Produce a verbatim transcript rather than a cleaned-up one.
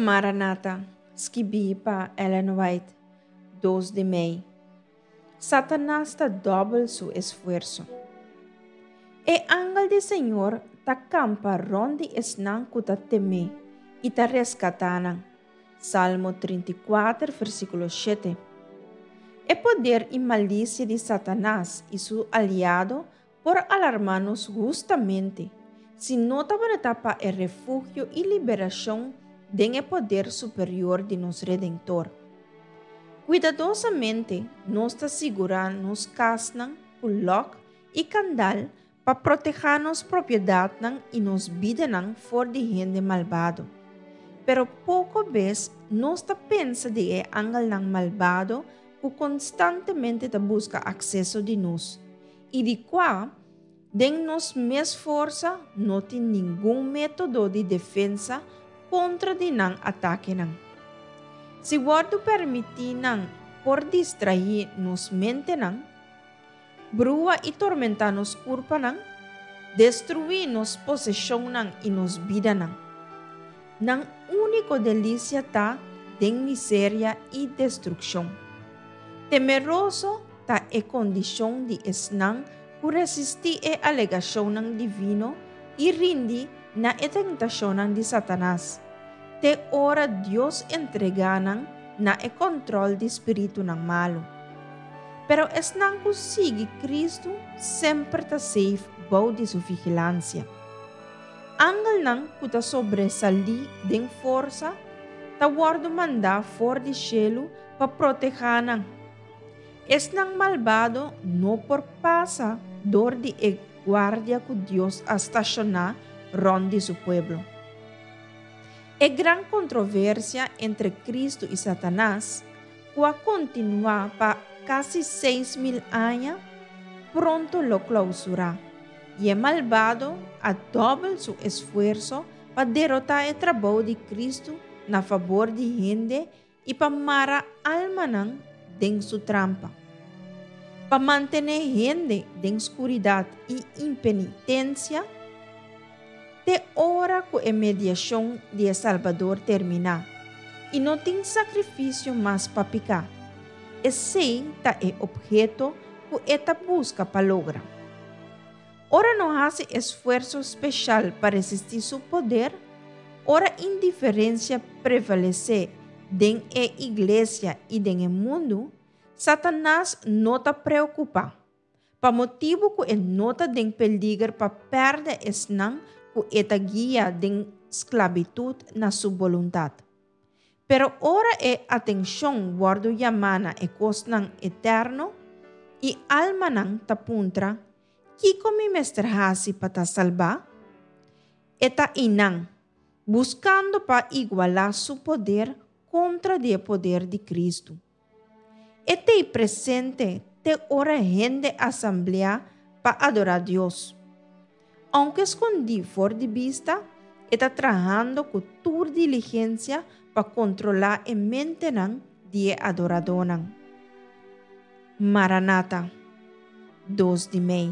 Maranata, skibí pa Ellen White, dos di mei. Satanas ta dòbel su esfuerso. E angel di Señor ta kampa rònt di esnan ku ta tem'é i ta reskatá nan. Salmo trinta i kuater, versíkulo shete. E poder i malisia di Satanas i su aliado por alarmá nos hustamente, si no tabata pa e refugio i liberashon den e poder superior di nos Redentor. Kuidadosamente nos ta sigurá nos kasnan ku lòk i kandal pa protehá nos propiedatnan i nos bidanan for di hende malbado. Pero poko bes nos ta pensa di e angelnan malbado ku konstantemente ta buska akseso di nos, i di kua den nos mes forsa no tin ningun método di defensa kontra di nan atakenan. Si wòrdu permití nan por distraí nos mentenan, brua i tormentá nos kurpanan, destruí nos poseshonnan i nos bidanan. Nan úniko delisia ta den miseria i destrukshon. Temeroso ta e kondishon di esnan ku resistí e alegashonnan divino i rindi na e tentashonnan di Satanas, te ora Dios entregá nan na e kòntròl di spiritunan malu. Pero esnan ku sigui Kristu semper ta safe bou di su vigilansia. Angelnan ku ta sobresalí den forsa ta wòrdu mandá for di shelu pa protehá nan. Esnan malbado no por pasa dor di e guardia ku Dios a stashoná rònt di su pueblo. E gran kontroversia entre Kristu i Satanas, ku a kontinuá pa kasi seis mil aña, pronto lo klousurá, i e malbado a dòbel su esfuerso pa derotá e trabou di Kristu na fabor di hende i pa mara almanan den su trampa. Pa mantené hende den skuridat i impenitensia, te ora ku e mediashon di e Salbador terminá i no tin sakrifisio mas pa piká. Esei ta e opheto ku e ta buska pa logra. Ora no hasi esfuerso spesial pa resistí su poder, ora indiferensia prevalesé den e iglesia i den e mundu, Satanas no ta preokupá, pa motibu ku e no ta den peliger pa pèrdè esnan ku e ta guia den sklabitut na su boluntat. Pero ora e atenshon wòrdu yamá na e kosnan eterno, i almanan ta puntra, Kiko mi mester hasi pa ta salbá? E ta einan, buskando pa igualá su poder kontra di e poder di Kristu. E t'ei presente te ora hende asambleá pa adorá Dios. Ounke skondí for di bista, e ta trahando ku tur diligensia pa kontrolá e mentenan di e adoradónan. Maranata, dos di mei.